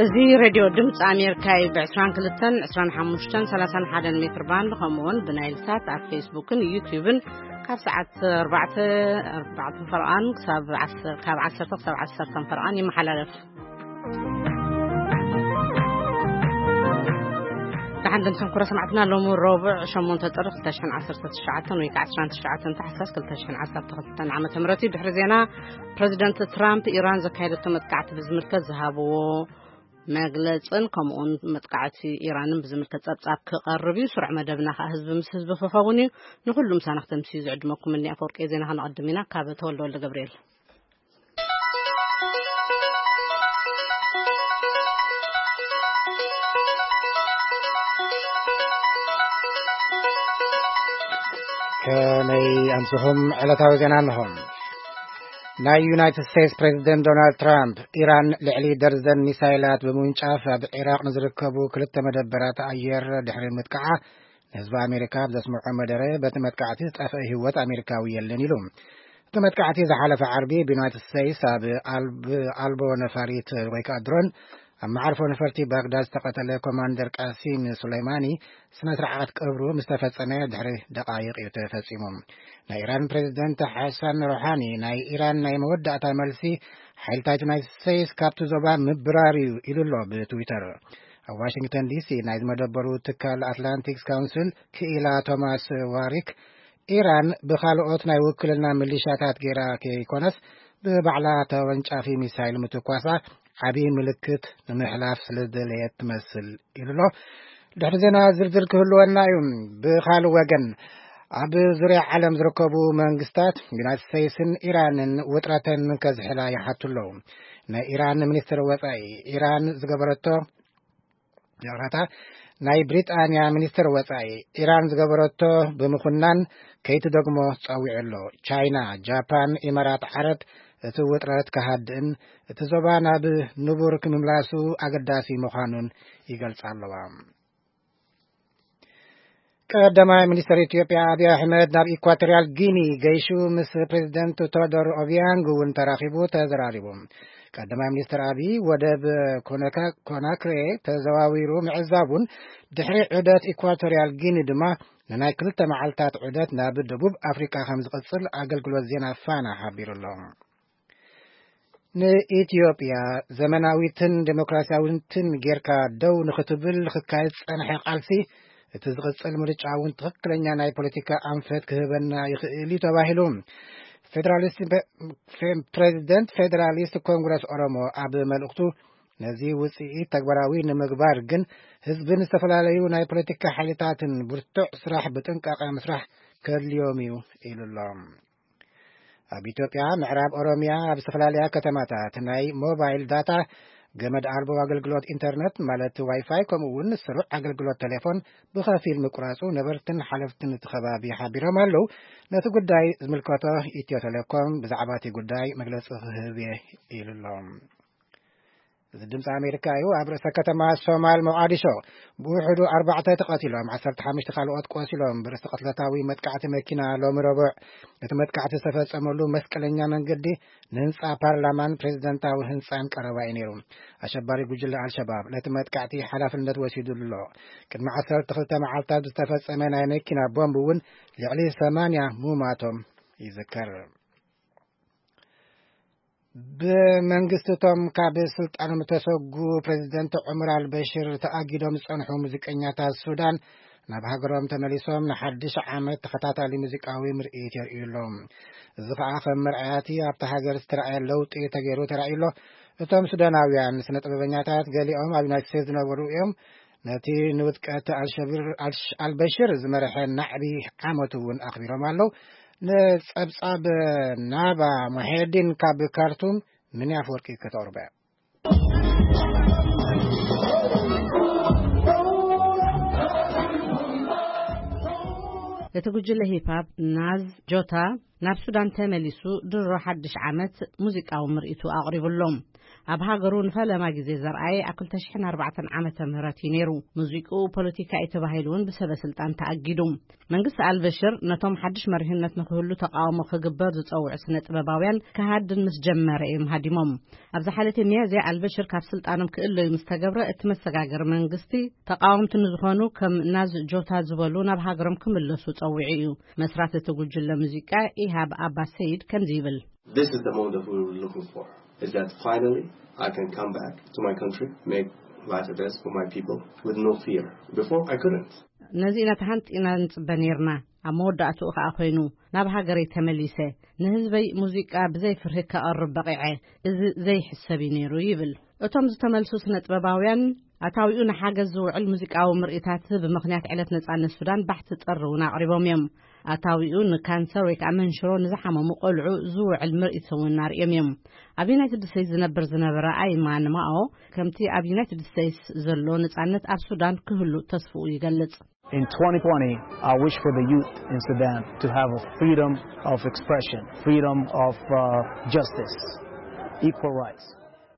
እዚ ሬድዮ ድምፂ ኣሜሪካ እዩ። ብ22፣ 25፣ 31 ሜትር ባንድ፣ ከምኡውን ብናይል ሳት ኣብ ፌስቡክን ዩቲዩብን ካብ ሰዓት 4፣ 4 ፈርቓን ክሳብ ዓሰርተ፣ ካብ ዓሰርተ ክሳብ ዓሰርተ ፈርቓን ይመሓላለፍ። ደሓን ደምሰም ኩረ ሰማዕትና፣ ሎሚ ረቡዕ ሸሞንተ ጥሪ ክልተ ሽሕን ዓሰርተ ትሽዓተን ወይ ከዓ ዕስራን ትሽዓተን ታሕሳስ ክልተ ሽሕን ዓሰርተ ክልተን ዓመተ ምህረት እዩ። ድሕሪ ዜና፣ ፕሬዚደንት ትራምፕ ኢራን ዘካየደቶ መጥቃዕቲ ብዝምልከት ዝሃብዎ መግለጽን ከምኡውን መጥቃዕቲ ኢራንን ብዝምልከት ጸብጻብ ክቐርብ እዩ። ስሩዕ መደብና ከኣ ህዝቢ ምስ ህዝቢ ክኸውን እዩ። ንኹሉም ሳናኽተምሲ ዝዕድመኩም እኒ ኣፈወርቂ ዜና ከነቐድም ኢና። ካብ ተወልደ ወልደ ገብርኤል። ከመይ ኣምስኹም? ዕለታዊ ዜና ኣለኹም። ናይ ዩናይትድ ስቴትስ ፕሬዚደንት ዶናልድ ትራምፕ፣ ኢራን ልዕሊ ደርዘን ሚሳይላት ብምውንጫፍ ኣብ ዒራቕ ንዝርከቡ ክልተ መደበራት ኣየር ድሕሪ ምጥቃዓ፣ ንህዝቢ ኣሜሪካ ኣብ ዘስምዖ መደረ፣ በቲ መጥቃዕቲ ዝጠፍአ ህይወት ኣሜሪካዊ የለን ኢሉ። እቲ መጥቃዕቲ ዝሓለፈ ዓርቢ ብዩናይትድ ስቴትስ ኣብ ኣልብ-፣ ኣልቦ ነፋሪት ወይ ከዓ ድሮን ኣብ መዓርፎ ነፈርቲ ባግዳድ ዝተቐተለ ኮማንደር ቃሲም ሱሌይማኒ ስነ ስርዓት ቀብሩ ምስ ተፈጸመ ድሕሪ ደቃይቕ እዩ ተፈጺሙ። ናይ ኢራን ፕሬዚደንት ሓሳን ሮሓኒ፣ ናይ ኢራን ናይ መወዳእታ መልሲ ሓይልታት ዩናይትድ ስቴትስ ካብቲ ዞባ ምብራር እዩ ኢሉ ኣሎ ብትዊተር። ኣብ ዋሽንግተን ዲሲ ናይ ዝመደበሩ ትካል ኣትላንቲክስ ካውንስል ክኢላ ቶማስ ዋሪክ፣ ኢራን ብኻልኦት ናይ ውክልና ሚሊሻታት ገይራ ከይኮነስ፣ ብባዕላ ተወንጫፊ ሚሳይል ምትኳሳ ዓብዪ ምልክት ንምሕላፍ ስለ ዝደለየት ትመስል ኢሉ ኣሎ። ድሕሪ ዜና ዝርዝር ክህልወና እዩ። ብኻልእ ወገን፣ ኣብ ዙርያ ዓለም ዝርከቡ መንግስታት ዩናይትድ ስቴትስን ኢራንን ውጥረተን ከዝሕላ ይሓቱ ኣለዉ። ናይ ኢራን ሚኒስትር ወጻኢ፣ ኢራን ዝገበረቶ፣ ይቕረታ፣ ናይ ብሪጣንያ ሚኒስትር ወጻኢ፣ ኢራን ዝገበረቶ ብምኹናን ከይትደግሞ ጸዊዑ ኣሎ። ቻይና፣ ጃፓን፣ ኢማራት ዓረብ እቲ ውጥረት ክሃድእን እቲ ዞባ ናብ ንቡር ክምምላሱ ኣገዳሲ ምዃኑን ይገልጻ ኣለዋ። ቀዳማይ ሚኒስትር ኢትዮጵያ ኣብይ ኣሕመድ ናብ ኢኳቶሪያል ጊኒ ገይሹ ምስ ፕሬዚደንት ቶዶር ኦቢያንግ እውን ተራኺቡ ተዘራሪቡ። ቀዳማይ ሚኒስትር ኣብይ ወደብ ኮነካ-፣ ኮናክሬ ተዘዋዊሩ ምዕዛቡን ድሕሪ ዑደት ኢኳቶሪያል ጊኒ ድማ ንናይ ክልተ መዓልታት ዑደት ናብ ደቡብ ኣፍሪቃ ከም ዝቕጽል ኣገልግሎት ዜና ፋና ሓቢሩ ኣሎ። ንኢትዮጵያ ዘመናዊትን ዴሞክራሲያዊትን ጌርካ ደው ንኽትብል ክካየድ ዝጸንሐ ቃልሲ፣ እቲ ዝቕጽል ምርጫ እውን ትኽክለኛ ናይ ፖለቲካ ኣንፈት ክህበና ይኽእል እዩ ተባሂሉ። ፌደራሊስት ፌ-፣ ፕሬዚደንት ፌደራሊስት ኮንግረስ ኦሮሞ ኣብ መልእኽቱ፣ ነዚ ውጽኢት ተግባራዊ ንምግባር ግን ህዝብን ዝተፈላለዩ ናይ ፖለቲካ ሓይልታትን ብርቱዕ ስራሕ ብጥንቃቐ ምስራሕ ከድልዮም እዩ ኢሉ ኣሎ። ኣብ ኢትዮጵያ ምዕራብ ኦሮሚያ ኣብ ዝተፈላለያ ከተማታት ናይ ሞባይል ዳታ፣ ገመድ ኣልቦ ኣገልግሎት ኢንተርነት ማለት ዋይፋይ፣ ከምኡ እውን ስሩዕ ኣገልግሎት ቴሌፎን ብኸፊል ምቁራጹ ነበርትን ሓለፍትን እቲ ከባቢ ሓቢሮም ኣለዉ። ነቲ ጉዳይ ዝምልከቶ ኢትዮ ቴሌኮም ብዛዕባ እቲ ጉዳይ መግለጺ ክህብ እየ ኢሉ ኣሎ። እዚ ድምፂ ኣሜሪካ እዩ። ኣብ ርእሰ ከተማ ሶማል ሞቃዲሾ ብውሕዱ ኣርባዕተ ተቐቲሎም፣ ዓሰርተ ሓሙሽተ ካልኦት ቆሲሎም ብርእሲ ቅትለታዊ መጥቃዕቲ መኪና ሎሚ ረቡዕ፣ እቲ መጥቃዕቲ ዝተፈጸመሉ መስቀለኛ መንገዲ ንህንጻ ፓርላማን ፕሬዚደንታዊ ህንጻን ቀረባ እዩ ነይሩ። ኣሸባሪ ጉጅለ ኣልሸባብ ነቲ መጥቃዕቲ ሓላፍነት ወሲዱ ኣሎ። ቅድሚ ዓሰርተ ክልተ መዓልታት ዝተፈጸመ ናይ መኪና ቦምብ እውን ልዕሊ ሰማንያ ምማቶም ይዝከር። ብመንግስቲ እቶም ካብ ስልጣኖም ዝተሰጉ ፕሬዚደንት ዑመር ኣልበሽር ተኣጊዶም ዝጸንሑ ሙዚቀኛታት ሱዳን ናብ ሃገሮም ተመሊሶም ንሓድሽ ዓመት ተኸታታሊ ሙዚቃዊ ምርኢት የርእዩ ኣለዉ። እዚ ኸኣ ከም መርኣያቲ ኣብታ ሃገር ዝተረኣየ ለውጢ ተገይሩ ተራእዩ ኣሎ። እቶም ሱዳናውያን ስነ ጥበበኛታት ገሊኦም ኣብ ዩናይትድ ስቴትስ ዝነበሩ እዮም። ነቲ ንውድቀት ኣልሸብር-፣ ኣልሽ-፣ ኣልበሽር ዝመርሐ ናዕቢ ዓመቱ እውን ኣኽቢሮም ኣለዉ። ንጸብጻብ ናባ ሙሄዲን ካብ ካርቱም፣ ምን ኣፈወርቂ ከተቕርበ። እቲ ጉጅለ ሂፓፕ ናዝ ጆታ ናብ ሱዳን ተመሊሱ ድሮ ሓድሽ ዓመት ሙዚቃዊ ምርኢቱ ኣቕሪቡ ኣሎ። ኣብ ሃገሩ ንፈለማ ግዜ ዘርኣየ ኣብ ክልተ ሽሕን ኣርባዕተን ዓመተ ምህረት እዩ ነይሩ። ሙዚቅኡ ፖለቲካ እዩ ተባሂሉ እውን ብሰበ ስልጣን ተኣጊዱ። መንግስቲ ኣልበሽር ነቶም ሓድሽ መሪሕነት ንክህሉ ተቃውሞ ክግበር ዝጸውዑ ስነ ጥበባውያን ክሃድን ምስ ጀመረ እዮም ሃዲሞም። ኣብ ዝሓለፈ ሚያዝያ ኣልበሽር ካብ ስልጣኖም ክእለዩ ምስ ተገብረ፣ እቲ መሰጋገሪ መንግስቲ ተቃወምቲ ንዝኾኑ ከም ናዝ ጆታ ዝበሉ ናብ ሃገሮም ክምለሱ ጸዊዑ እዩ። መስራቲ እቲ ጉጅለ ሙዚቃ ኢሃብ ኣባ ሰይድ ከምዚ ይብል። This is the moment that we were looking for, is that finally I can come back to my country, make life a best for my people with no fear. Before, I couldn't. ነዚ ኢና ተሃንጢና ንጽበ ነይርና። ኣብ መወዳእትኡ ከኣ ኮይኑ፣ ናብ ሃገረይ ተመሊሰ፣ ንህዝበይ ሙዚቃ ብዘይ ፍርሂ ከቕርብ በቒዐ። እዚ ዘይሕሰብ እዩ ነይሩ ይብል። እቶም ዝተመልሱ ስነ ጥበባውያን፣ ኣታዊኡ ንሓገዝ ዝውዕል ሙዚቃዊ ምርኢታት ብምኽንያት ዕለት ነጻነት ሱዳን ባሕቲ ጥሪ እውን ኣቕሪቦም እዮም። ኣታዊኡ ንካንሰር ወይ ከዓ መንሽሮ ንዝሓመሙ ቆልዑ ዝውዕል ምርኢት እውን ኣርእዮም እዮም። ኣብ ዩናይትድ ስቴትስ ዝነብር ዝነበረ ኣይማን ማኦ፣ ከምቲ ኣብ ዩናይትድ ስቴትስ ዘሎ ነጻነት ኣብ ሱዳን ክህሉ ተስፍኡ ይገልጽ። In twenty twenty, I wish for the youth in Sudan to have a freedom of expression, freedom of uh, justice, equal rights.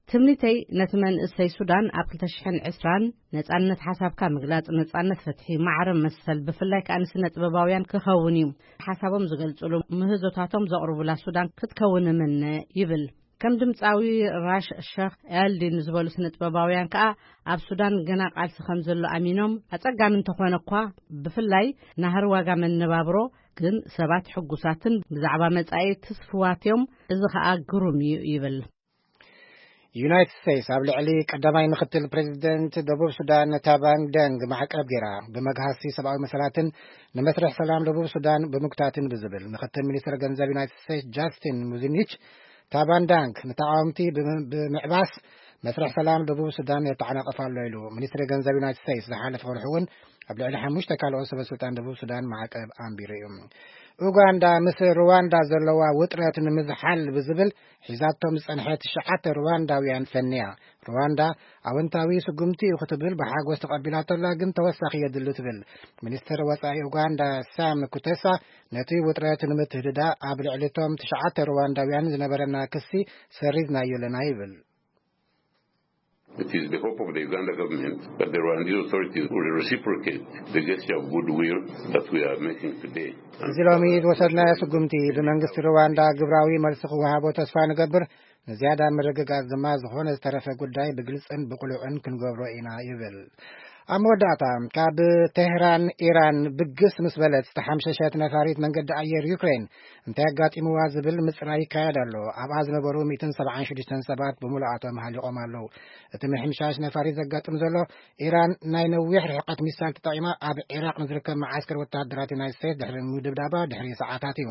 ትምኒተይ ነቲ መንእሰይ ሱዳን ኣብ ክልተ ሽሕን ዕስራን ነጻነት ሓሳብካ ምግላጽ፣ ነጻነት ፍትሒ፣ ማዕረ መሰል፣ ብፍላይ ከኣ ንስነ ጥበባውያን ክኸውን እዩ። ሓሳቦም ዝገልጽሉ፣ ምህዞታቶም ዘቕርቡላ ሱዳን ክትከውን እምነ ይብል። ከም ድምጻዊ ራሽ ሸኽ ኤልዲን ዝበሉ ስነ ጥበባውያን ከኣ ኣብ ሱዳን ገና ቃልሲ ከም ዘሎ ኣሚኖም፣ ኣጸጋሚ እንተኾነ እኳ፣ ብፍላይ ናህሪ ዋጋ መነባብሮ፣ ግን ሰባት ሕጉሳትን ብዛዕባ መጻኢ ትስፍዋት እዮም። እዚ ከኣ ግሩም እዩ ይብል። ዩናይትድ ስቴትስ ኣብ ልዕሊ ቀዳማይ ምክትል ፕሬዚደንት ደቡብ ሱዳን ታባን ደንግ ማዕቀብ ገይራ፣ ብመግሃሲ ሰብኣዊ መሰላትን ንመስርሕ ሰላም ደቡብ ሱዳን ብምጉታትን ብዝብል፣ ምክትል ሚኒስትር ገንዘብ ዩናይትድ ስቴትስ ጃስቲን ሙዚኒች፣ ታባን ዳንግ ንተቃወምቲ ብም- ብምዕባስ መስርሕ ሰላም ደቡብ ሱዳን የተዓናቅፍ ኣሎ ኢሉ። ሚኒስትሪ ገንዘብ ዩናይትድ ስቴትስ ዝሓለፈ ወርሒ እውን ኣብ ልዕሊ ሓሙሽተ ካልኦት ሰበ ስልጣን ደቡብ ሱዳን ማዕቀብ ኣንቢሩ እዩ። ኡጋንዳ ምስ ሩዋንዳ ዘለዋ ውጥረት ንምዝሓል ብዝብል ሒዛቶም ዝጸንሐት ትሽዓተ ሩዋንዳውያን ፈንያ። ሩዋንዳ ኣወንታዊ ስጉምቲ እዩ ክትብል ብሓጎስ ተቐቢላቶ ኣላ፣ ግን ተወሳኺ የድሊ ትብል። ሚኒስትር ወጻኢ ኡጋንዳ ሳም ኩተሳ፣ ነቲ ውጥረት ንምትህድዳ ኣብ ልዕሊቶም ትሽዓተ ሩዋንዳውያን ዝነበረና ክሲ ሰሪዝናዮ ኣለና ይብል። It is the hope of the Uganda government that the Rwandese authorities will reciprocate the gesture of goodwill that we are making today. እዚ ሎሚ ዝወሰድናዮ ስጉምቲ ብመንግስቲ ሩዋንዳ ግብራዊ መልሲ ክወሃቦ ተስፋ ንገብር። ንዝያዳ ምርግጋጽ ድማ ዝኾነ ዝተረፈ ጉዳይ ብግልጽን ብቕሉዕን ክንገብሮ ኢና ይብል። ኣብ መወዳእታ፣ ካብ ቴህራን ኢራን ብግስ ምስ በለት ዝተሓምሸሸት ነፋሪት መንገዲ ኣየር ዩክሬን እንታይ ኣጋጢምዋ ዝብል ምጽራይ ይካየድ ኣሎ። ኣብኣ ዝነበሩ ሚእትን ሰብዓን ሽዱሽተን ሰባት ብምሉኣቶም ሃሊቖም ኣለዉ። እቲ ምሕምሻሽ ነፋሪት ዘጋጥም ዘሎ፣ ኢራን ናይ ነዊሕ ርሕቀት ሚሳይል ተጠቒማ ኣብ ዒራቕ ንዝርከብ መዓስከር ወተሃደራት ዩናይትድ ስቴትስ ድሕሪ ምድብዳባ ድሕሪ ሰዓታት እዩ።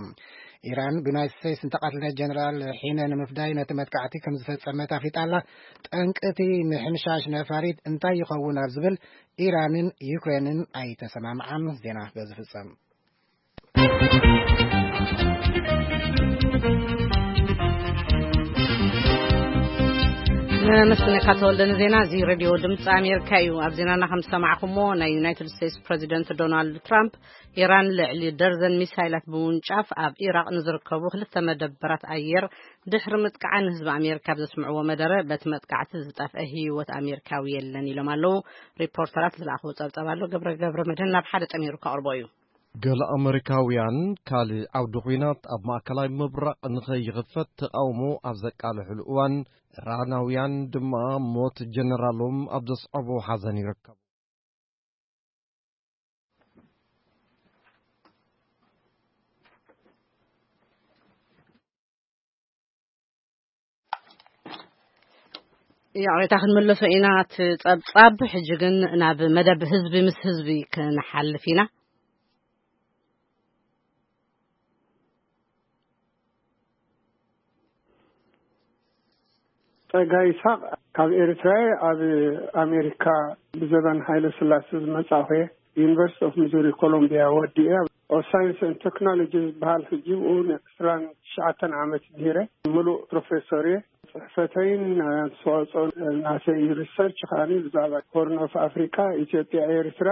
ኢራን ብዩናይትድ ስቴትስ ዝተቐትለ ጀነራል ሒነ ንምፍዳይ ነቲ መጥቃዕቲ ከም ዝፈጸመት ኣፍሊጣ ኣላ። ጠንቂ እቲ ምሕምሻሽ ነፋሪት እንታይ ይኸውን ኣብ ዝብል ኢራንን ዩክሬንን ኣይተሰማምዓን። ዜና በዚ ፍጸም። ነመስግነካ ተወልደ ንዜና እዚ ሬድዮ ድምፂ ኣሜሪካ እዩ። ኣብ ዜናና ከም ዝሰማዕኩሞ፣ ናይ ዩናይትድ ስቴትስ ፕሬዚደንት ዶናልድ ትራምፕ ኢራን ልዕሊ ደርዘን ሚሳይላት ብምውንጫፍ ኣብ ኢራቅ ንዝርከቡ ክልተ መደበራት ኣየር ድሕሪ ምጥቃዓ ንህዝቢ ኣሜሪካ ኣብ ዘስምዕዎ መደረ፣ በቲ መጥቃዕቲ ዝጠፍአ ህይወት ኣሜሪካዊ የለን ኢሎም ኣለዉ። ሪፖርተራት ዝለኣኽዎ ጸብጻብ ኣሎ። ገብረ ገብረ መድህን ናብ ሓደ ጠሚሩ ከቕርቦ እዩ። ገለ ኣመሪካውያን ካልእ ዓውዲ ኲናት ኣብ ማእከላይ ምብራቕ ንኸይኽፈት ተቓውሞ ኣብ ዘቃልሕሉ እዋን፣ ኢራናውያን ድማ ሞት ጀነራሎም ኣብ ዘስዕቦ ሓዘን ይርከቡ። ይቕሬታ፣ ክንምለሶ ኢና እቲ ጸብጻብ። ሕጂ ግን ናብ መደብ ህዝቢ ምስ ህዝቢ ክንሓልፍ ኢና። ጸጋ ይስሐቅ ካብ ኤርትራ እየ። ኣብ ኣሜሪካ ብዘበን ሃይለ ስላሴ ዝመጻእኹ እየ። ዩኒቨርሲቲ ኦፍ ሚዙሪ ኮሎምቢያ ወዲኤ፣ ኦፍ ሳይንስ ኤንድ ቴክኖሎጂ ዝበሃል፣ ሕጂ ብኡ ንዕስራን ትሽዓተን ዓመት ምሂረ። ምሉእ ፕሮፌሰር እየ። ጽሕፈተይን ኣስተዋጽኦ ናተይ ሪሰርች ከኣ ብዛዕባ ሆርን ኦፍ ኣፍሪካ፣ ኢትዮጵያ፣ ኤርትራ፣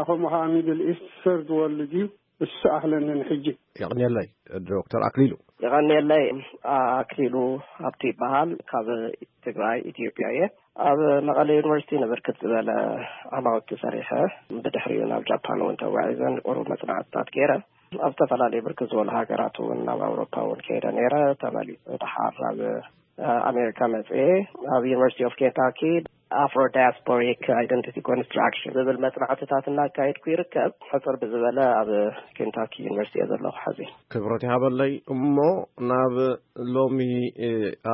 ከምኡ ከኣ ሚድል ኢስት፣ ሰርድ ወርልድ እዩ። እሱ ኣኽለኒ ንሕጂ። የቕንየለይ ዶክተር ኣክሊሉ። የቐንየለይ። ኣክሊሉ ሃብቱ ይበሃል። ካብ ትግራይ፣ ኢትዮጵያ እየ። ኣብ መቐለ ዩኒቨርሲቲ ንብርክት ዝበለ ዓማውቲ ሰሪሐ፣ ብድሕሪኡ ናብ ጃፓን እውን ተጓዒዘ፣ ንቁሩብ መጽናዕትታት ገይረ። ኣብ ዝተፈላለዩ ብርክት ዝበሉ ሃገራት እውን፣ ናብ ኣውሮፓ እውን ከይደ ነይረ። ተመሊሰ ደሓር ናብ ኣሜሪካ መጽኤ፣ ኣብ ዩኒቨርሲቲ ኦፍ ኬንታኪ ኣፍሮ ዳያስፖሪክ ኣይደንቲቲ ኮንስትራክሽን ዝብል መጽናዕትታት እናካየድኩ ይርከብ። ሕጽር ብዝበለ ኣብ ኬንታኪ ዩኒቨርሲቲ እየ ዘለኹ ሐዚ። ክብረት ይሃበለይ። እሞ ናብ ሎሚ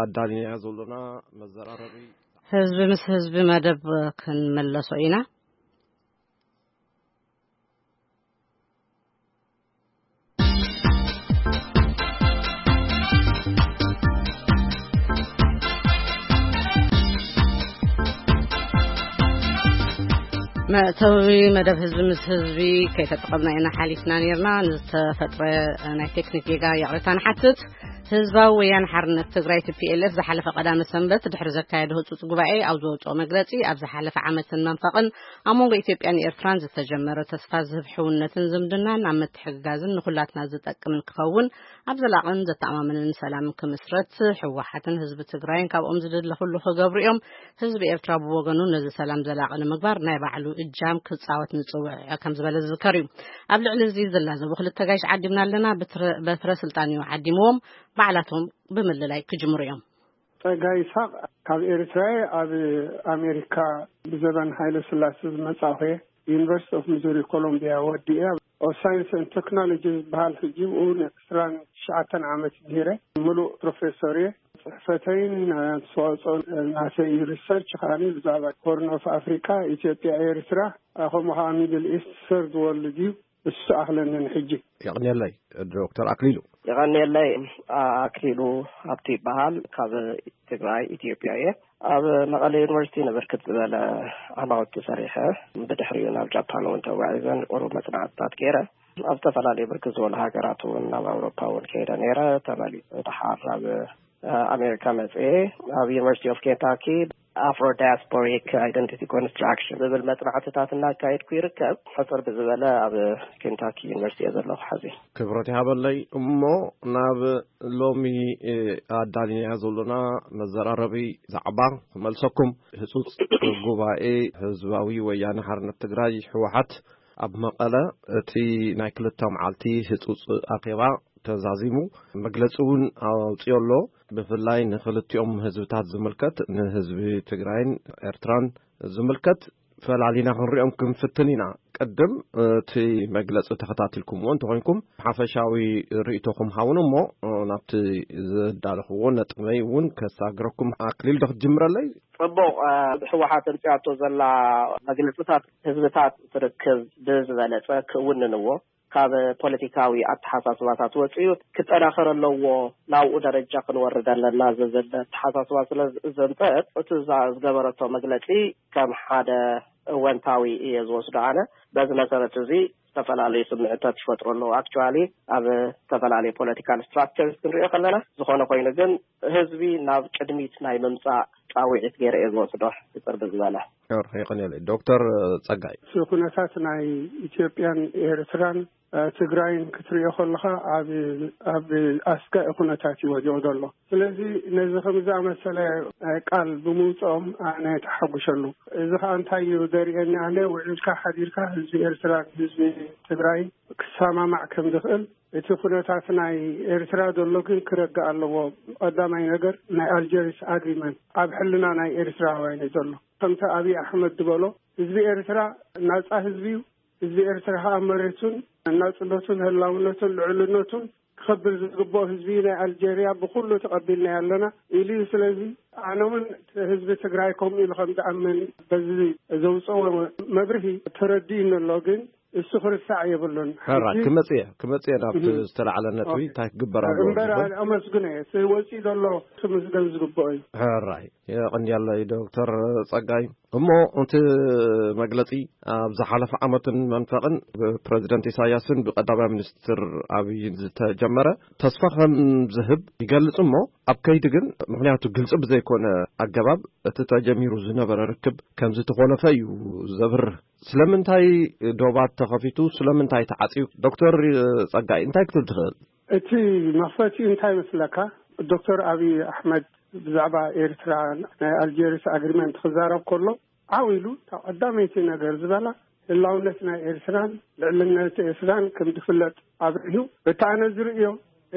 ኣዳሊናያ ዘሎና መዘራረቢ፣ ህዝቢ ምስ ህዝቢ መደብ ክንመለሶ ኢና። መእተዊ መደብ ህዝቢ ምስ ህዝቢ ከይተጠቐምና ኢና ሓሊፍና ነርና። ንዝተፈጥረ ናይ ቴክኒክ ጌጋ ይቕሬታ ንሓትት። ህዝባዊ ወያነ ሓርነት ትግራይ፣ ቲ ፒ ኤል ኤፍ፣ ዝሓለፈ ቀዳመ ሰንበት ድሕሪ ዘካየዶ ህጹጽ ጉባኤ ኣብ ዘውጽኦ መግለጺ፣ ኣብ ዝሓለፈ ዓመትን መንፈቕን ኣብ መንጎ ኢትዮጵያን ኤርትራን ዝተጀመረ ተስፋ ዝህብ ሕውነትን ዝምድናን ኣብ ምትሕግጋዝን ንኹላትና ዝጠቅምን ክኸውን፣ ኣብ ዘላቕን ዘተኣማምንን ሰላም ክምስረት ህወሓትን ህዝቢ ትግራይን ካብኦም ዝድለ ኩሉ ክገብሩ እዮም። ህዝቢ ኤርትራ ብወገኑ ነዚ ሰላም ዘላቒ ንምግባር ናይ ባዕሉ እጃም ክጻወት ንጽውዕ ከም ዝበለ ዝዝከር እዩ። ኣብ ልዕሊ እዚ ዝላዘቡ ክልተ ጋይሽ ዓዲምና ኣለና። ብትረ-፣ በትረ ስልጣን እዩ ዓዲምዎም። ባዕላቶም ብምልላይ ክጅምሩ እዮም። ጸጋይ ይስሓቕ፣ ካብ ኤርትራ እየ። ኣብ ኣሜሪካ ብዘበን ሃይለ ስላሴ ዝመጻእኹ እየ። ዩኒቨርሲቲ ኦፍ ሚዙሪ ኮሎምቢያ ወዲኤ፣ ኣብ ሳይንስ ኤንድ ቴክኖሎጂ ዝበሃል፣ ሕጂ ብኡ ንዕስራን ትሽዓተን ዓመት ምሂረ፣ ምሉእ ፕሮፌሰር እየ። ጽሕፈተይን ኣስተዋጽኦ ናተይ ሪሰርች ከኣ ብዛዕባ ሆርን ኦፍ ኣፍሪካ፣ ኢትዮጵያ፣ ኤርትራ፣ ከምኡ ከኣ ሚድል ኢስት፣ ሰርድ ወርልድ እዩ። እሱ ኣኽለኒ ንሕጂ። የቕንየለይ ዶክተር ኣክሊሉ። የቐንየለይ። ኣክሊሉ ሃብቲ ይበሃል። ካብ ትግራይ፣ ኢትዮጵያ እየ። ኣብ መቐለ ዩኒቨርሲቲ ንብርክት ዝበለ ዓማውቲ ሰሪሐ፣ ብድሕሪኡ ናብ ጃፓን እውን ተጓዒዘ፣ ንቁሩብ መጽናዕትታት ገይረ። ኣብ ዝተፈላለዩ ብርክት ዝበሉ ሃገራት እውን፣ ናብ ኣውሮፓ እውን ከይደ ነይረ። ተመሊሰ ደሓር ናብ ኣሜሪካ መጽኤ፣ ኣብ ዩኒቨርሲቲ ኦፍ ኬንታኪ ኣፍሮ ዳያስፖሪክ ኣይደንቲቲ ኮንስትራክሽን ዝብል መጽናዕትታት እናካየድኩ ይርከብ። ሕጽር ብዝበለ ኣብ ኬንታኪ ዩኒቨርሲቲ እየ ዘለኹ ሐዚ። ክብረት ይሃበለይ። እሞ ናብ ሎሚ ኣዳሊናያ ዘሎና መዘራረቢ ዛዕባ ክመልሰኩም። ህጹጽ ጉባኤ ህዝባዊ ወያነ ሓርነት ትግራይ፣ ህወሓት፣ ኣብ መቐለ እቲ ናይ ክልተ መዓልቲ ህጹጽ ኣኼባ ተዛዚሙ፣ መግለጺ እውን ኣውጺኦ ኣሎ። ብፍላይ ንክልቲኦም ህዝብታት ዝምልከት፣ ንህዝቢ ትግራይን ኤርትራን ዝምልከት፣ ፈላሊና ክንሪኦም ክንፍትን ኢና። ቅድም እቲ መግለጺ ተኸታቲልኩምዎ እንተኾይንኩም፣ ሓፈሻዊ ርእይቶኹም ሃቡን እሞ ናብቲ ዘዳለኽዎ ነጥበይ እውን ከሳግረኩም። ኣክሊል፣ ዶ ክትጅምረለይ? ጽቡቕ። እ፣ ህወሓት ኣምጺኣቶ ዘላ መግለጽታት ህዝብታት ትርክብ ብዝበለጸ ክውንንዎ፣ ካብ ፖለቲካዊ ኣተሓሳስባታት ወጺኡ ክጠናኸር ኣለዎ፣ ናብኡ ደረጃ ክንወርድ ኣለና ዝብል ኣተሓሳስባ ስለ ዘምጸአት፣ እቲ ዛ-፣ ዝገበረቶ መግለጺ ከም ሓደ እወንታዊ እየ ዝወስዶ ኣነ። በዚ መሰረት እዚ ዝተፈላለዩ ስምዕታት ይፈጥሩ ኣለዉ። ኣክቹዋሊ ኣብ ዝተፈላለዩ ፖለቲካል ስትራክቸርስ ክንሪኦ ከለና፣ ዝኾነ ኮይኑ ግን ህዝቢ ናብ ቅድሚት ናይ ምምጻእ ጻውዒት ገይረ እየ ዝወስዶ። ሕጽር ብዝበለ። ዶክተር የቐንየለይ። ዶክተር ጸጋይ። እቲ ኩነታት ናይ ኢትዮጵያን ኤርትራን፣ እ፣ ትግራይን ክትሪኦ ከለኻ ኣብ፣ ኣብ ኣስጋኢ ኩነታት እዩ ወዲቑ ዘሎ። ስለዚ ነዚ ከም ዝኣመሰለ፣ እ፣ ቃል ብምውፅኦም ኣነ ተሓጉሸሉ። እዚ ከዓ እንታይ እዩ ዘርእየኒ? ኣነ ውዒልካ ሓዲርካ ህዝቢ ኤርትራን ህዝቢ ትግራይን ክሰማማዕ ከም ዝኽእል፣ እቲ ኩነታት ናይ ኤርትራ ዘሎ ግን ክረግእ ኣለዎ። ቀዳማይ ነገር ናይ ኣልጀሪስ ኣግሪመንት ኣብ ሕልና ናይ ኤርትራውያን እዩ ዘሎ። ከምቲ ኣብይ ኣሕመድ ዝበሎ፣ ህዝቢ ኤርትራ ናጻ ህዝቢ እዩ። ህዝቢ ኤርትራ ከዓ መሬቱን ናጽነቱን ህላውነቱን ልዕልነቱን ክኸብር ዝግብኦ ህዝቢ ናይ ኣልጀርያ ብኩሉ ተቐቢልና ኣለና ኢሉ እዩ። ስለዚ ኣነ እውን ህዝቢ ትግራይ ከምኡ ኢሉ ከም ዝኣምን በዚ ዘውፅኦ መብርሂ ተረዲእኒ ኣሎ። ግን እሱ ክርስዕ የብሉን። ሕራይ፣ ሕጂ ክመጽእ እየ፣ ክመጽእ እየ ናብቲ እም። ዝተላዕለ ነጥቢ፣ ኦኬ። እንታይ ክግበር ኣለዎ እምበር ዝብል። ኣመስግነ እየ። እቲ ወጺኡ ዘሎ ክምስገን ዝግብኦ እዩ። ሕራይ፣ የቐንየለይ ዶክተር ጸጋይ። እሞ እቲ መግለጺ ኣብ ዝሓለፈ ዓመትን መንፈቕን ብፕረዚደንት ኢሳያስን ብቀዳማይ ሚኒስትር ኣብይን ዝተጀመረ ተስፋ ከም ዝህብ ይገልጽ። እሞ ኣብ ከይዲ ግን፣ ምኽንያቱ ግልጺ ብዘይኮነ ኣገባብ እቲ ተጀሚሩ ዝነበረ ርክብ ከም ዝተኾነፈ እዩ ዘብርህ። ስለምንታይ ዶባት ተኸፊቱ? ስለምንታይ ተዓጽዩ? ዶክተር ጸጋይ፣ እንታይ ክትብል ትኽእል? እቲ መኽፈቲኡ እንታይ መስለካ? ዶክተር ኣብይ ኣሕመድ ብዛዕባ ኤርትራ ናይ ኣልጀርስ ኣግሪመንት ክዛረብ ከሎ ዓው ኢሉ፣ እታ ቀዳመይቲ ነገር ዝበላ ህላውነት ናይ ኤርትራን ልዕልነት ኤርትራን ከም ዝፍለጥ ኣብሪሁ። በቲ ኣነ ዝርእዮ፣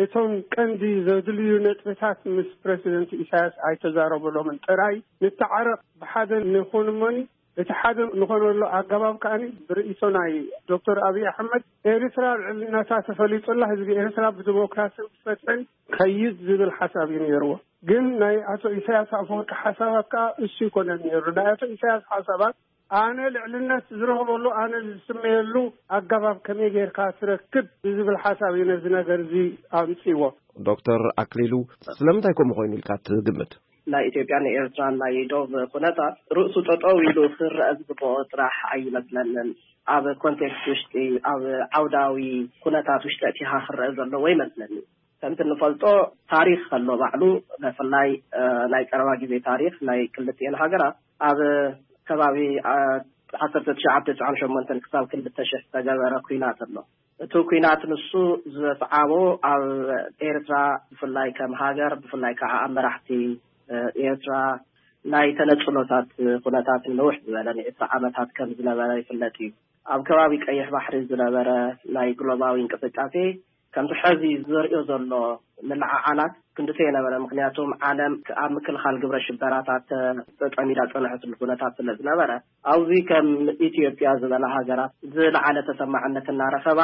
እቶም ቀንዲ ዘድልዩ ነጥብታት ምስ ፕረሲደንት ኢሳያስ ኣይተዛረበሎምን። ጥራይ ንተዓረቕ፣ ብሓደ ንኹን እሞኒ፣ እቲ ሓደ ንኾነሉ ኣገባብ ከኣ ብርእይቶ ናይ ዶክተር ኣብይ ኣሕመድ፣ ኤርትራ ልዕልነታ ተፈሊጡላ፣ ህዝቢ ኤርትራ ብዲሞክራስን ብፍትሕን ከይድ ዝብል ሓሳብ እዩ ነይርዎ። ግን ናይ ኣቶ ኢሳያስ ኣፈወርቂ ሓሳባት ከኣ እሱ ይኮነን ነይሩ። ናይ ኣቶ ኢሳያስ ሓሳባት ኣነ ልዕልነት ዝረኽበሉ፣ ኣነ ዝስመየሉ ኣገባብ ከመይ ጌርካ ትረክብ ብዝብል ሓሳብ እዩ ነዚ ነገር እዚ ኣምጽዎ። ዶክተር ኣክሊሉ፣ ስለምንታይ ከምኡ ኮይኑ ኢልካ ትግምት? ናይ ኢትዮጵያን ኤርትራን ናይ ዶብ ኩነታት ርእሱ ጠጠው ኢሉ ክረአ ዝግብኦ ጥራሕ ኣይመስለንን። ኣብ ኮንቴክስት ውሽጢ፣ ኣብ ዓውዳዊ ኩነታት ውሽጢ ኣእቲኻ ክረአ ዘለዎ ይመስለኒ። ከምቲ እንፈልጦ፣ ታሪኽ ከሎ ባዕሉ፣ ብፍላይ እ፣ ናይ ቀረባ ግዜ ታሪኽ ናይ ክልቲኤን ሃገራት፣ ኣብ ከባቢ እ፣ ዓሰርተ ትሽዓተ ትስዓን ሸሞንተን ክሳብ ክልተ ሽሕ ዝተገበረ ኩናት ኣሎ። እቲ ኩናት ንሱ ዘስዓቦ፣ ኣብ ኤርትራ ብፍላይ ከም ሃገር፣ ብፍላይ ከዓ ኣብ መራሕቲ እ፣ ኤርትራ ናይ ተነጽሎታት ኩነታትን ንውሕ ዝበለ ንዒስራ ዓመታት ከም ዝነበረ ይፍለጥ እዩ። ኣብ ከባቢ ቀይሕ ባሕሪ ዝነበረ ናይ ግሎባዊ እንቅስቃሴ ከምቲ ሐዚ ዘርእዮ ዘሎ ምልዕዓላት ክንድቲ የነበረ። ምክንያቱም ዓለም ኣብ ምክልኻል ግብረ ሽበራታት ተጠሚዳ ጸንሐትሉ ኩነታት ስለ ዝነበረ፣ ኣብዚ ከም ኢትዮጵያ ዝበላ ሃገራት ዝለዓለ ተሰማዕነት እናረኸባ፣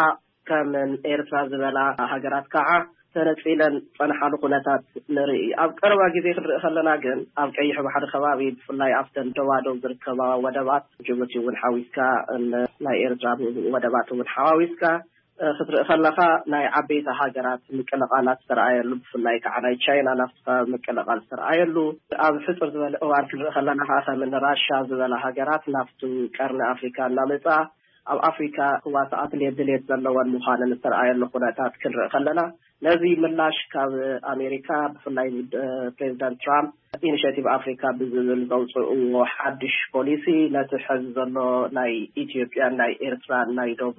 ከም ኤርትራ ዝበላ ሃገራት ከዓ ተነጺለን ጸንሓሉ ኩነታት ንርኢ። ኣብ ቀረባ ግዜ ክንርኢ ከለና ግን፣ ኣብ ቀይሕ ባሕሪ ከባቢ፣ ብፍላይ ኣብተን ደባደብ ዝርከባ ወደባት፣ ጅቡቲ እውን ሓዊስካ፣ ን-፣ ናይ ኤርትራ ወደባት እውን ሓዋዊስካ፣ እ፣ ክትርኢ ከለኻ፣ ናይ ዓበይቲ ሃገራት ምቅልቓላት ዝተረኣየሉ፣ ብፍላይ ከዓ ናይ ቻይና ናፍቲ ከባቢ ምቅልቓል ዝተረኣየሉ፣ ኣብ ሕጽር ዝበለ እዋን ክንርኢ ከለና ከዓ፣ ከም እኒ ራሻ ዝበላ ሃገራት ናፍቲ ቀርኒ ኣፍሪካ እናመጻ፣ ኣብ ኣፍሪካ ክዋሳኣ ድሌት፣ ድሌት ዘለወን ምዃነን ዝተረኣየሉ ኩነታት ክንርኢ ከለና፣ ነዚ ምላሽ ካብ ኣሜሪካ፣ ብፍላይ እ፣ ፕሬዚዳንት ትራምፕ ኢኒሽቲቭ ኣፍሪካ ብዝብል ዘውፅእዎ ሓድሽ ፖሊሲ፣ ነቲ ሐዚ ዘሎ ናይ ኢትዮጵያን ናይ ኤርትራን ናይ ዶብ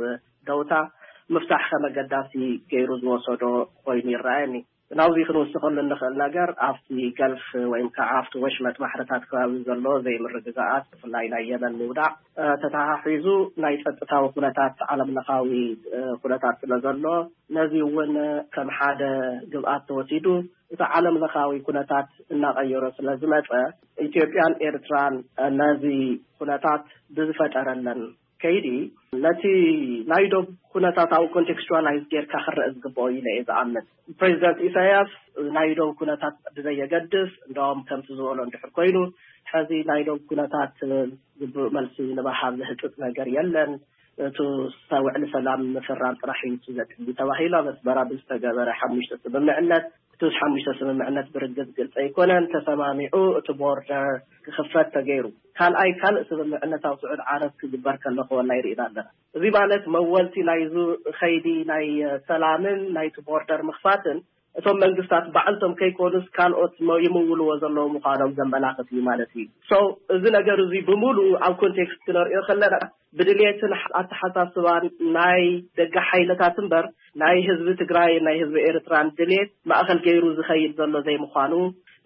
ደውታ ምፍታሕ ከም ኣገዳሲ ገይሩ ዝወሰዶ ኮይኑ ይረኣየኒ። ናብዚ ክንውስኸሉ እንኽእል ነገር፣ ኣብቲ ገልፍ ወይም ከዓ ኣብቲ ወሽመጥ ባሕርታት ከባቢ ዘሎ ዘይምርግጋኣት፣ ብፍላይ ናይ የመን ምውዳቕ፣ እ፣ ተተሓሒዙ ናይ ጸጥታዊ ኩነታት፣ ዓለም ለኻዊ እ፣ ኩነታት ስለ ዘሎ፣ ነዚ እውን ከም ሓደ ግብኣት ተወሲዱ፣ እቲ ዓለም ለኻዊ ኩነታት እናቐየሮ ስለ ዝመጸ፣ ኢትዮጵያን ኤርትራን ነዚ ኩነታት ብዝፈጠረለን ከይዲ፣ ነቲ ናይ ዶብ ኩነታት ኣብኡ ኮንቴክስቹዋላይዝ ጌርካ ክረአ ዝግብኦ ኢለ እየ ዝኣምን። ፕሬዚደንት ኢሳያስ ናይ ዶብ ኩነታት ብዘየገድስ፣ እንደውም ከምቲ ዝበሎ እንድሕር ኮይኑ፣ ሕዚ ናይ ዶብ ኩነታት ግቡእ መልሲ ንመሃብ ዝህጥጥ ነገር የለን፣ እቲ ውዕሊ ሰላም ምፍራም ጥራሕ እዩ እቲ ዘድሊ ተባሂሉ፣ ኣብ ኣስመራ ብዝተገበረ ሓሙሽተ ስምምዕነት፣ እቲ ሓሙሽተ ስምምዕነት ብርግጽ ግልጺ ኣይኮነን። ተሰማሚዑ እቲ ቦርደር ክኽፈት ተገይሩ። ካልኣይ፣ ካልእ ስምምዕነት ኣብ ስዑድ ዓረብ ክግበር ከሎ ከወላ ይርኢና ኣለና። እዚ ማለት፣ መወልቲ ናይዚ ኸይዲ ናይ ሰላምን ናይቲ ቦርደር ምኽፋትን፣ እቶም መንግስታት ባዕልቶም ከይኮኑስ፣ ካልኦት መ-፣ ይምውልዎ ዘለዉ ምዃኖም ዘመላኽት እዩ ማለት እዩ። ሶ፣ እዚ ነገር እዚ ብምሉኡ ኣብ ኮንቴክስት ክነርእዮ ከለና፣ ብድልየትን ኣተሓሳስባን ናይ ደገ ሓይልታት እምበር፣ ናይ ህዝቢ ትግራይ፣ ናይ ህዝቢ ኤርትራን ድልየት ማእኸል ገይሩ ዝኸይድ ዘሎ ዘይምዃኑ፣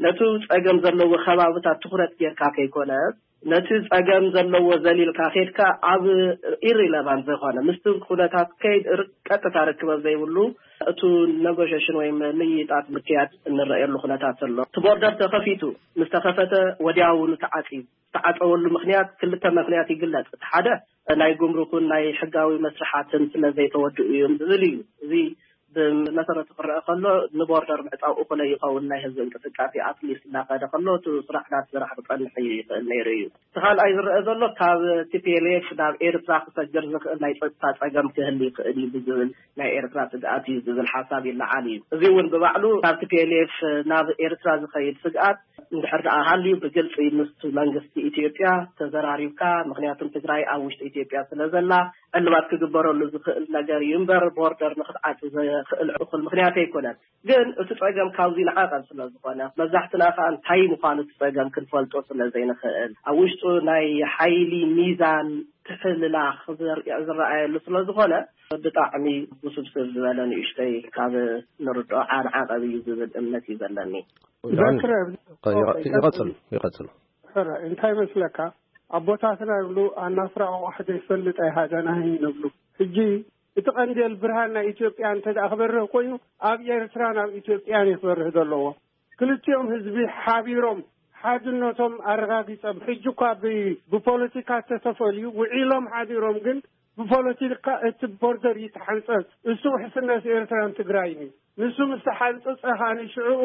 ነቲ ጸገም ዘለዎ ከባብታት ትኹረት ጌርካ ከይኮነስ፣ ነቲ ጸገም ዘለዎ ዘሊልካ ኬድካ፣ ኣብ ኢሪለቫንት ዝኾነ፣ ምስቲ ኩነታት ከይድ ር-፣ ቀጥታ ርክበት ዘይብሉ፣ እቱ ነጎሸሽን ወይ ምይይጣት ምክያድ እንረእየሉ ኩነታት ዘሎ። እቲ ቦርደር ተኸፊቱ፣ ምስ ተኸፈተ ወዲያውኑ ተዓጽዩ። ዝተዓጸወሉ ምክንያት፣ ክልተ ምክንያት ይግለጽ። እቲ ሓደ፣ ናይ ጉምሩክን ናይ ሕጋዊ መስርሓትን ስለ ዘይተወድኡ እዮም ዝብል እዩ። እዚ ብመሰረቱ ክረአ ከሎ፣ ንቦርደር ምዕጻው እኹለ ይኸውን፣ ናይ ህዝቢ እንቅስቃሴ ኣትሊስት እናኸደ ከሎ፣ እቲ ስራሕ ናቲ ስራሕ ክጸንሕ ይኽእል ነይሩ እዩ። እቲ ካልኣይ ዝረአ ዘሎ፣ ካብ ቲ ፒ ኤል ኤፍ ናብ ኤርትራ ክሰግር ዝኽእል ናይ ጸጥታ ጸገም ክህል ይኽእል እዩ ብዝብል፣ ናይ ኤርትራ ስግኣት እዩ ዝብል ሓሳብ ይለዓል እዩ። እዚ እውን ብባዕሉ፣ ካብ ቲ ፒ ኤል ኤፍ ናብ ኤርትራ ዝኸይድ ስግኣት እንድሕር ደኣ ሃልዩ፣ ብግልጺ ምስቲ መንግስቲ ኢትዮጵያ ተዘራሪብካ፣ ምክንያቱም ትግራይ ኣብ ውሽጢ ኢትዮጵያ ስለ ዘላ፣ ዕልባት ክግበረሉ ዝኽእል ነገር እዩ እምበር፣ ቦርደር ንክትዓጽ ዘኽእል እኹል ምክንያት ኣይኮነን። ግን እቲ ጸገም ካብዚ ንዓቐብ ስለ ዝኾነ፣ መብዛሕትና ከኣ እንታይ ምዃኑ እቲ ጸገም ክንፈልጦ ስለ ዘይንኽእል፣ ኣብ ውሽጡ ናይ ሓይሊ ሚዛን ምትሕልላኽ ዝርኣየሉ ስለ ዝኾነ፣ ብጣዕሚ ውስብስብ ዝበለ ንእሽተይ ካብ ንርድኦ ዓንዓቐብ እዩ ዝብል እምነት እዩ ዘለኒ። ይቐፅሉ። ይቐፅሉ። ሕረ እንታይ መስለካ? ኣቦታትና ይብሉ፣ ኣናፍራ ቆቋሕ ዘይፈልጥ ኣይሃደናህን ይብሉ። ሕጂ እቲ ቀንዴል ብርሃን ናይ ኢትዮጵያ እንተ ደኣ ክበርህ ኮይኑ፣ ኣብ ኤርትራን ኣብ ኢትዮጵያን እዩ ክበርህ ዘለዎ። ክልቲኦም ህዝቢ ሓቢሮም ሓድነቶም ኣረጋጊጾም፣ ሕጂ እኳ ብ- ብፖለቲካ ተተፈልዩ ውዒሎም ሓዲሮም፣ ግን ብፖለቲካ እቲ ቦርደር ይተሓንጸጽ። እሱ ውሕስነት ኤርትራን ትግራይን እዩ። ንሱ ምስ ተሓንጸጸ ኸኣ ንሽዕኡ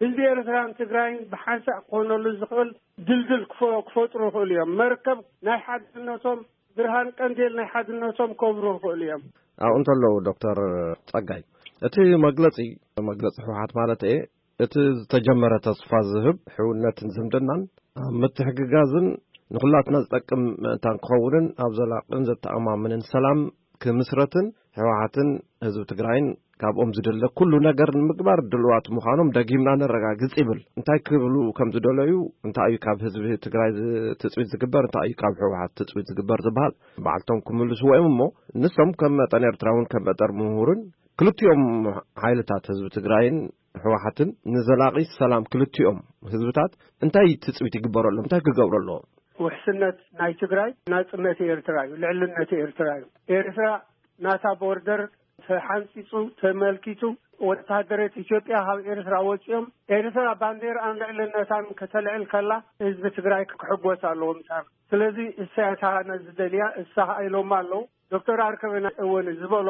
ህዝቢ ኤርትራን ትግራይን ብሓንሳእ ክኾነሉ ዝኽእል ድልድል ክፈ- ክፈጥሩ ይኽእሉ እዮም። መርከብ ናይ ሓድነቶም፣ ብርሃን ቀንዴል ናይ ሓድነቶም ከብሩ ይኽእሉ እዮም። ኣብኡ እንተለዉ፣ ዶክተር ጸጋይ፣ እቲ መግለጺ፣ መግለጺ ህወሓት ማለት እየ፣ እቲ ዝተጀመረ ተስፋ ዝህብ ሕውነትን ዝምድናን ኣብ ምትሕግጋዝን ንኹላትና ዝጠቅም ምእንታን ክኸውንን ኣብ ዘላቕን ዘተኣማምንን ሰላም ክምስረትን ህወሓትን ህዝቢ ትግራይን ካብኦም ዝድለ ኩሉ ነገር ንምግባር ድልዋት ምዃኖም ደጊምና ነረጋግጽ ይብል። እንታይ ክብሉ ከም ዝደለዩ፣ እንታይ እዩ ካብ ህዝቢ ትግራይ ዝ- ትጽቢት ዝግበር፣ እንታይ እዩ ካብ ህወሓት ትጽቢት ዝግበር ዝበሃል ባዕልቶም ክምልስዎ እዮም። እሞ ንሶም ከም መጠን ኤርትራውን ከም መጠን ምሁርን ክልቲኦም ሓይልታት ህዝቢ ትግራይን ህወሓትን ንዘላቒ ሰላም ክልቲኦም ህዝብታት እንታይ ትጽቢት ይግበረሎም? እንታይ ክገብሩ ኣለዎም? ውሕስነት ናይ ትግራይ ናጽነት ኤርትራ እዩ፣ ልዕልነት ኤርትራ እዩ። ኤርትራ ናታ ቦርደር ተሓንጺጹ፣ ተመልኪቱ፣ ወታደረት ኢትዮጵያ ካብ ኤርትራ ወጺኦም፣ ኤርትራ ባንዴራን ልዕልነታን ከተልዕል ከላ፣ ህዝቢ ትግራይ ክሕጎስ ኣለዎ ምሳና። ስለዚ እሳ እያ እታ ነዚ ደልያ፣ እሳ ኸኣ ኢሎማ ኣለዉ። ዶክተር ኣርከበ ናይ እወን ዝበሎ፣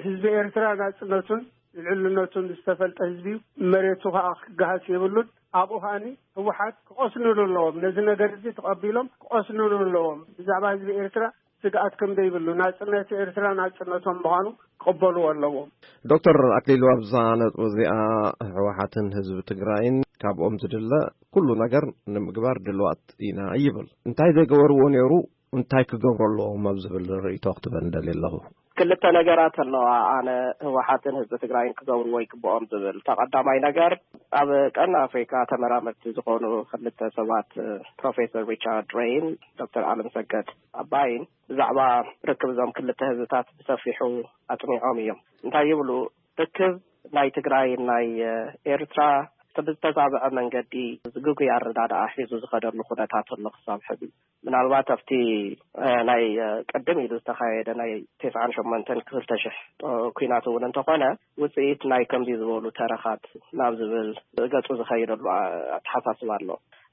ህዝቢ ኤርትራ ናጽነቱን ልዕልነቱን ዝተፈልጠ ህዝቢ እዩ። መሬቱ ኸኣ ክገሃስ የብሉን። ኣብኡ ኸኣኒ ህወሓት ክቐስንሉ ኣለዎም። ነዚ ነገር እዚ ተቐቢሎም ክቐስንሉ ኣለዎም። ብዛዕባ ህዝቢ ኤርትራ ስግኣት ከም ዘይብሉ፣ ናጽነት ኤርትራ ናጽነቶም ምዃኑ ክቕበልዎ ኣለዎም። ዶክተር ኣክሊሉ፣ ኣብዛ ነጥቢ እዚኣ ህወሓትን ህዝቢ ትግራይን ካብኦም ዝድለ ኩሉ ነገር ንምግባር ድልዋት ኢና ይብል። እንታይ ዘይገበርዎ ነይሩ፣ እንታይ ክገብሩ ኣለዎም ኣብ ዝብል ርእይቶ ክትበ ንደሊ ኣለኹ። ክልተ ነገራት ኣለዋ። ኣነ ህወሓትን ህዝቢ ትግራይን ክገብርዎ ይግብኦም ዝብል፣ ተቐዳማይ ነገር፣ ኣብ ቀርኒ ኣፍሪካ ተመራመርቲ ዝኾኑ ክልተ ሰባት፣ ፕሮፌሰር ሪቻርድ ሬይን ዶክተር ኣለም ሰገድ ኣባይን ብዛዕባ ርክብ እዞም ክልተ ህዝብታት ብሰፊሑ ኣፅኒዖም እዮም። እንታይ ይብሉ? ርክብ ናይ ትግራይ ናይ ኤርትራ ብዝተዛበዐ መንገዲ ዝግጉይ ኣረዳድኣ ሒዙ ዝኸደሉ ኩነታት ኣሎ ክሳብ ሕዚ። ምናልባት ኣብቲ ናይ ቅድም ኢሉ ዝተኻየደ ናይ ተስዓን ሸሞንተን ክልተ ሽሕ ኩናት እውን እንተኾነ ውፅኢት ናይ ከምዚ ዝበሉ ተረኻት ናብ ዝብል ገፁ ዝኸይደሉ ኣተሓሳስባ ኣሎ።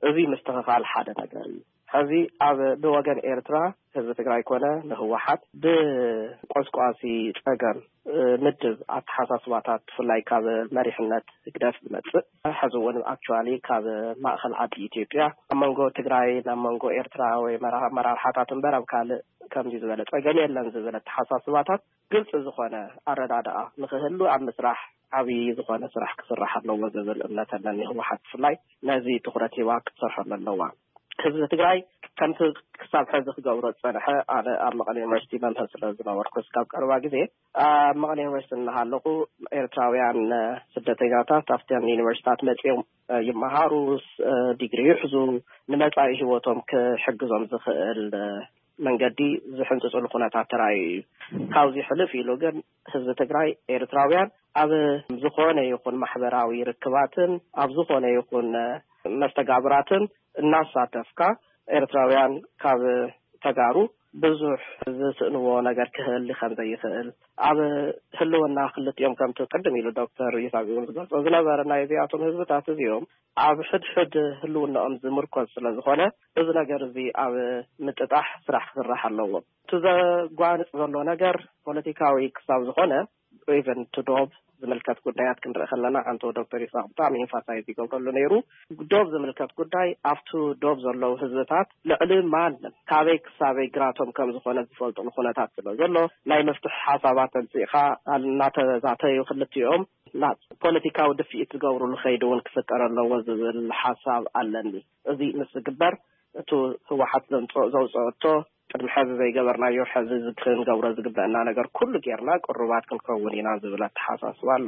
እዚ ምስትኽኻል ሓደ ነገር እዩ። ሕዚ ኣብ ብወገን ኤርትራ ህዝቢ ትግራይ ኮነ ንህወሓት ብቆስቋሲ ፀገም ምድብ ኣተሓሳስባታት ብፍላይ ካብ መሪሕነት ህግደፍ ዝመፅእ ሕዚ እውን ኣክቹዋሊ ካብ ማእኸል ዓዲ ኢትዮጵያ ኣብ መንጎ ትግራይ ናብ መንጎ ኤርትራ ወይ ኣመራርሓታት እምበር ኣብ ካልእ ከምዚ ዝበለ ፀገም የለን ዝብል ኣተሓሳስባታት ግልፂ ዝኾነ ኣረዳድኣ ንክህሉ ኣብ ምስራሕ ዓብዪ ዝኾነ ስራሕ ክስራሕ ኣለዎ ዝብል እምነት ኣለኒ። ህወሓት ብፍላይ ነዚ ትኹረት ሂባ ክትሰርሐሉ ኣለዋ። ህዝቢ ትግራይ ከምቲ ክሳብ ሕዚ ክገብሮ ዝፀንሐ ኣነ ኣብ መቐለ ዩኒቨርሲቲ መምህር ስለ ዝነበርኩ እስካብ ቀረባ ግዜ ኣብ መቐለ ዩኒቨርሲቲ እናሃለኹ ኤርትራውያን ስደተኛታት ኣብተን ዩኒቨርሲታት መፂኦም ይመሃሩ፣ ዲግሪ ይሕዙ፣ ንመፃኢ ህይወቶም ክሕግዞም ዝኽእል መንገዲ ዝሕንፅፅሉ ኩነታት ተራእዩ እዩ። ካብዚ ሕልፍ ኢሉ ግን ህዝቢ ትግራይ ኤርትራውያን ኣብ ዝኾነ ይኹን ማሕበራዊ ርክባትን ኣብ ዝኾነ ይኹን መስተጋብራትን እናሳተፍካ ኤርትራውያን ካብ ተጋሩ ብዙሕ ዝስእንዎ ነገር ክህሊ ከም ዘይኽእል ኣብ ህልውና ክልቲኦም ከምቲ ቅድም ኢሉ ዶክተር ይስሐቅ እውን ዝገልጾ ዝነበረ ናይ እዚኣቶም ህዝብታት እዚኦም ኣብ ሕድሕድ ህልውናኦም ዝምርኮዝ ስለ ዝኾነ እዚ ነገር እዚ ኣብ ምጥጣሕ ስራሕ ክስራሕ ኣለዎ። እቲ ዘጓንፅ ዘሎ ነገር ፖለቲካዊ ክሳብ ዝኾነ ኢቨን ዶብ ዝምልከት ጉዳያት ክንርኢ ከለና ሓንቶ ዶክተር ይስሐቅ ብጣዕሚ ኢንፋሳይዝ ይገብረሉ ነይሩ። ዶብ ዝምልከት ጉዳይ ኣብቱ ዶብ ዘለዉ ህዝብታት ልዕሊ ማንም ካበይ ክሳበይ ግራቶም ከም ዝኾነ ዝፈልጥሉ ኩነታት ስለ ዘሎ ናይ መፍትሒ ሓሳባት ኣምፂእኻ እናተዛተዩ ክልቲኦም ናብ ፖለቲካዊ ድፍኢት ዝገብሩሉ ከይዲ እውን ክፍጠር ኣለዎ ዝብል ሓሳብ ኣለኒ። እዚ ምስ ዝግበር እቲ ህወሓት ዘምፅኦ ዘውፅኦቶ ቅድሚ ሕዚ ዘይገበርናዮ ሕዚ ዝ- ክንገብሮ ዝግበአና ነገር ኩሉ ጌርና ቅሩባት ክንከውን ኢና ዝብል ኣተሓሳስባ ኣሎ።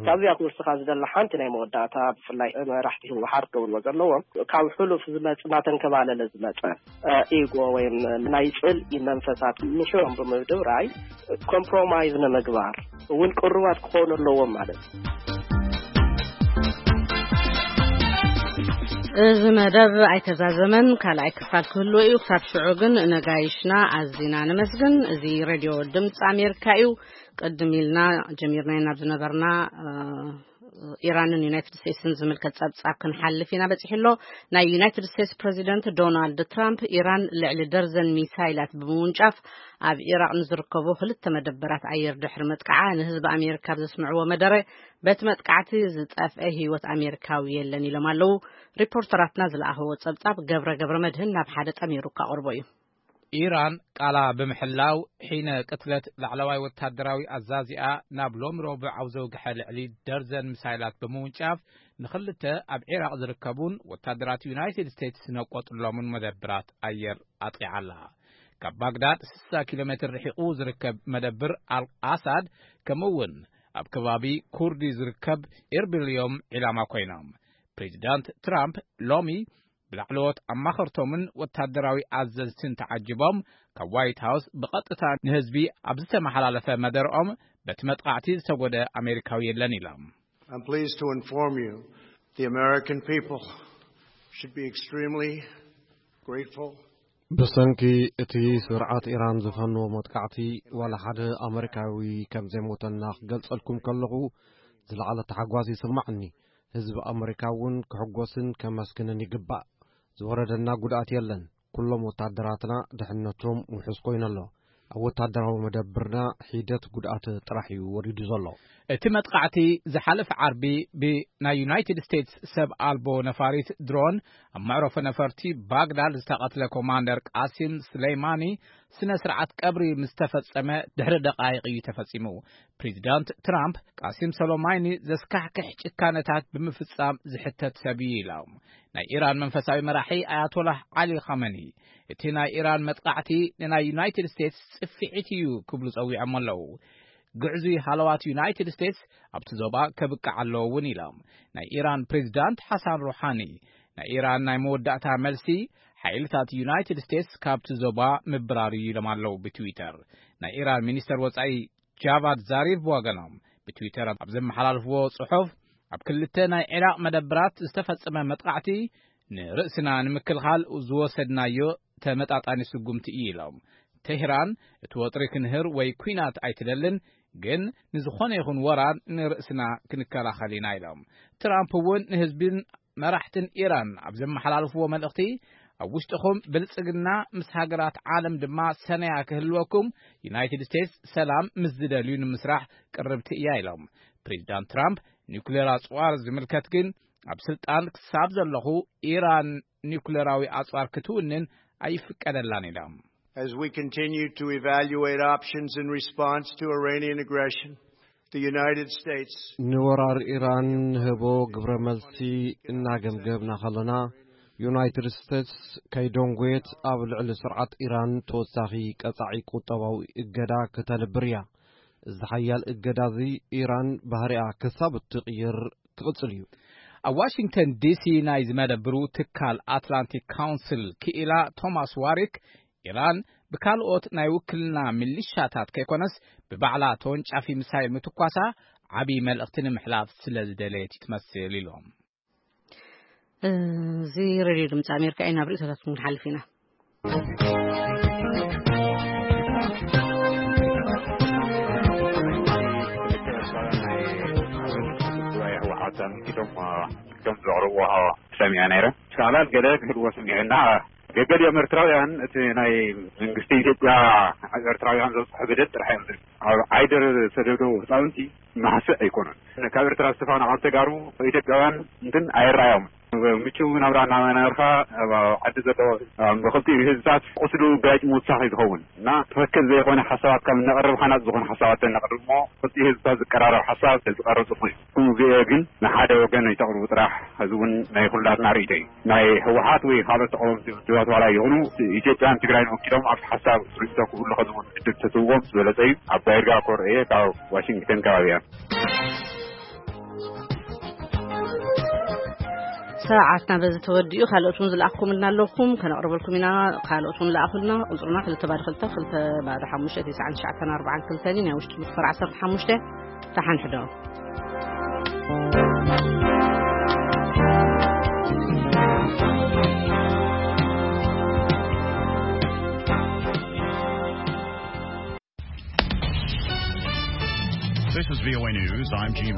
ካብዚኣ ክወስኻ ዝደላ ሓንቲ ናይ መወዳእታ፣ ብፍላይ መራሕቲ ህወሓት ክብልዎ ዘለዎም፣ ካብ ሕሉፍ ዝመፅ እናተንከባለለ ዝመፀ ኢጎ ወይም ናይ ፅልኢ መንፈሳት ንሽሮም ብምድብራይ ኮምፕሮማይዝ ንምግባር እውን ቅሩባት ክኾኑ ኣለዎም ማለት እዩ። እዚ መደብ ኣይተዛዘመን፣ ካልኣይ ክፋል ክህልዎ እዩ። ክሳብ ሽዑ ግን ነጋይሽና ኣዚና ነመስግን። እዚ ሬድዮ ድምፂ ኣሜሪካ እዩ። ቅድም ኢልና ጀሚርናዮ ናብ ዝነበርና ኢራንን ዩናይትድ ስቴትስን ዝምልከት ጸብጻብ ክንሓልፍ ኢና በጺሑ ኣሎ። ናይ ዩናይትድ ስቴትስ ፕሬዚደንት ዶናልድ ትራምፕ ኢራን ልዕሊ ደርዘን ሚሳይላት ብምውንጫፍ ኣብ ኢራቕ ንዝርከቡ ክልተ መደበራት ኣየር ድሕሪ መጥቃዓ ንህዝቢ ኣሜሪካ ኣብ ዘስምዕዎ መደረ በቲ መጥቃዕቲ ዝጠፍአ ህይወት ኣሜሪካዊ የለን ኢሎም ኣለዉ። ሪፖርተራትና ዝለኣኸዎ ጸብጻብ ገብረ ገብረ መድህን ናብ ሓደ ጠሚሩ ካቕርቦ እዩ። ኢራን ቃላ ብምሕላው ሒነ ቅትለት ላዕለዋይ ወታደራዊ ኣዛዚኣ ናብ ሎም ረቡዕ ኣብ ዘውግሐ ልዕሊ ደርዘን ሚሳይላት ብምውንጫፍ ንኽልተ ኣብ ዒራቕ ዝርከቡን ወታደራት ዩናይትድ ስቴትስ ነቆጥሎምን መደብራት ኣየር ኣጥቂዓ ኣላ። ካብ ባግዳድ ስሳ ኪሎ ሜትር ርሒቑ ዝርከብ መደብር ኣል ኣሳድ ከምኡ እውን ኣብ ከባቢ ኩርዲ ዝርከብ ኢርቢል እዮም ዒላማ ኮይኖም። ፕሬዚዳንት ትራምፕ ሎሚ ብላዕለዎት ኣማኸርቶምን ወታደራዊ ኣዘዝትን ተዓጅቦም ካብ ዋይት ሃውስ ብቐጥታ ንህዝቢ ኣብ ዝተመሓላለፈ መደርኦም በቲ መጥቓዕቲ ዝተጎደ ኣሜሪካዊ የለን ኢሎም። I'm pleased to inform you the American people should be extremely grateful. ብሰንኪ እቲ ስርዓት ኢራን ዝፈነዎ መጥቃዕቲ ዋላ ሓደ ኣመሪካዊ ከም ዘይሞተና ክገልጸልኩም ከለኹ ዝለዓለ ተሓጓስ ይስማዕኒ። ህዝቢ ኣመሪካ እውን ክሕጎስን ከመስግንን ይግባእ። ዝወረደና ጉድኣት የለን። ኩሎም ወታደራትና ድሕነቶም ውሑስ ኮይኑ ኣሎ። ኣብ ወታደራዊ መደብርና ሒደት ጉድኣት ጥራሕ እዩ ወሪዱ ዘሎ። እቲ መጥቃዕቲ ዝሓለፈ ዓርቢ ብናይ ዩናይትድ ስቴትስ ሰብ ኣልቦ ነፋሪት ድሮን ኣብ መዕረፎ ነፈርቲ ባግዳድ ዝተቐትለ ኮማንደር ቃሲም ስሌይማኒ ስነ ስርዓት ቀብሪ ምስ ተፈጸመ ድሕሪ ደቃይቕ እዩ ተፈጺሙ። ፕሬዚዳንት ትራምፕ ቃሲም ሶሎማኒ ዘስካሕክሕ ጭካነታት ብምፍጻም ዝሕተት ሰብ እዩ ኢሎም። ናይ ኢራን መንፈሳዊ መራሒ ኣያቶላህ ዓሊ ኻመኒ እቲ ናይ ኢራን መጥቃዕቲ ንናይ ዩናይትድ ስቴትስ ጽፍዒት እዩ ክብሉ ጸዊዖም ኣለዉ። ግዕዙይ ሃለዋት ዩናይትድ ስቴትስ ኣብቲ ዞባ ከብቅዕ ኣለዎ እውን ኢሎም። ናይ ኢራን ፕሬዚዳንት ሓሳን ሩሓኒ ናይ ኢራን ናይ መወዳእታ መልሲ ሓይልታት ዩናይትድ ስቴትስ ካብቲ ዞባ ምብራር እዩ ኢሎም ኣለዉ ብትዊተር። ናይ ኢራን ሚኒስተር ወጻኢ ጃቫድ ዛሪፍ ብወገኖም ብትዊተር ኣብ ዘመሓላልፍዎ ጽሑፍ ኣብ ክልተ ናይ ዒራቕ መደብራት ዝተፈጸመ መጥቃዕቲ ንርእስና ንምክልኻል ዝወሰድናዮ ተመጣጣኒ ስጉምቲ እዩ ኢሎም። ቴህራን እቲ ወጥሪ ክንህር ወይ ኲናት ኣይትደልን፣ ግን ንዝኾነ ይኹን ወራር ንርእስና ክንከላኸል ኢና ኢሎም። ትራምፕ እውን ንህዝብን መራሕትን ኢራን ኣብ ዘመሓላልፍዎ መልእኽቲ ኣብ ውሽጥኹም ብልጽግና ምስ ሃገራት ዓለም ድማ ሰነያ ክህልወኩም ዩናይትድ ስቴትስ ሰላም ምስ ዝደልዩ ንምስራሕ ቅርብቲ እያ ኢሎም። ፕሬዚዳንት ትራምፕ ኒውክሌር ኣጽዋር ዝምልከት ግን ኣብ ስልጣን ክሳብ ዘለኹ ኢራን ኒውክሌራዊ ኣጽዋር ክትውንን ኣይፍቀደላን ኢሎም። As we continue to evaluate options in response to Iranian aggression, the United States ንወራር ኢራን ንህቦ ግብረ መልሲ እናገምገብና ከለና ዩናይትድ ስቴትስ ከይደንጎየት ኣብ ልዕሊ ስርዓት ኢራን ተወሳኺ ቀጻዒ ቁጠባዊ እገዳ ክተንብር እያ። እዚ ሓያል እገዳ እዚ ኢራን ባህሪኣ ክሳብ እትቕይር ክቕጽል እዩ። ኣብ ዋሽንግተን ዲሲ ናይ ዝመደብሩ ትካል ኣትላንቲክ ካውንስል ክኢላ ቶማስ ዋሪክ ኢራን ብካልኦት ናይ ውክልና ሚሊሻታት ከይኮነስ ብባዕላ ተወንጫፊ ሚሳይል ምትኳሳ ዓብዪ መልእኽቲ ንምሕላፍ ስለ ዝደለየት እዩ ትመስል ኢሎም። እዚ ሬድዮ ድምፂ ኣሜሪካ እዩ። ናብ ርእይቶታት ክንሓልፍ ኢና። ቶም ዘቕርብዎ ሰሚዐ ነይረ። ሻዕላል ገለ ክህልዎ ስሚዑና ገገሊኦም ኤርትራውያን እቲ ናይ መንግስቲ ኢትዮጵያ ኣብ ኤርትራውያን ዘብፅሖ በደል ጥራሕ እዮም ዝብል። ኣብ ዓይደር ዝተደብደቡ ህፃውንቲ ማሕስእ ኣይኮኑን። ካብ ኤርትራ ዝተፈናቐሉ ተጋሩ ኢትዮጵያውያን እንትን ኣይረኣዮም። ምቹው ናብራ እናመነርካ ኣብ ዓዲ ዘሎ ብክልቲኡ ህዝብታት ቁስሉ ጋጭ ምውሳኽ እዩ ዝኸውን እና ትኽክል ዘይኮነ ሓሳባት ካብ እነቕርብ ሓናፅ ዝኾነ ሓሳባት እነቕርብ እሞ ክልቲኡ ህዝብታት ዝቀራረብ ሓሳብ ተዝቀርብ ፅቡቅ እዩ። ከምኡ ግን ንሓደ ወገን ኣይተቕርቡ ጥራሕ። እዚ እውን ናይ ኩላትና ርእይቶ እዩ። ናይ ህወሓት ወይ ካልኦት ተቃወምቲ ውድባት ዋላ ይኹኑ ኢትዮጵያን ትግራይን ወኪሎም ኣብቲ ሓሳብ ርእይቶ ክህሉ ከዝውን ዕድል ተትህዎም ዝበለፀ እዩ። ኣባይ ርጋ ኮርኤ ካብ ዋሽንግተን ከባቢ እያ። ሰዓትና በዚ ተወዲኡ። ካልኦት እውን ዝለኣኽኩምልና ኣለኹም፣ ከነቕርበልኩም ኢና። ካልኦት እውን ለኣኹልና። ቁፅርና ክልተ ባዶ ክልተ ክልተ ባዶ ሓሙሽተ ትስዓን ትሽዓተን ኣርባዓን ክልተን እዩ። ናይ ውሽጢ መስመር ዓሰርተ ሓሙሽተ። ተሓንሕዶ። This is V O A News. I'm Gene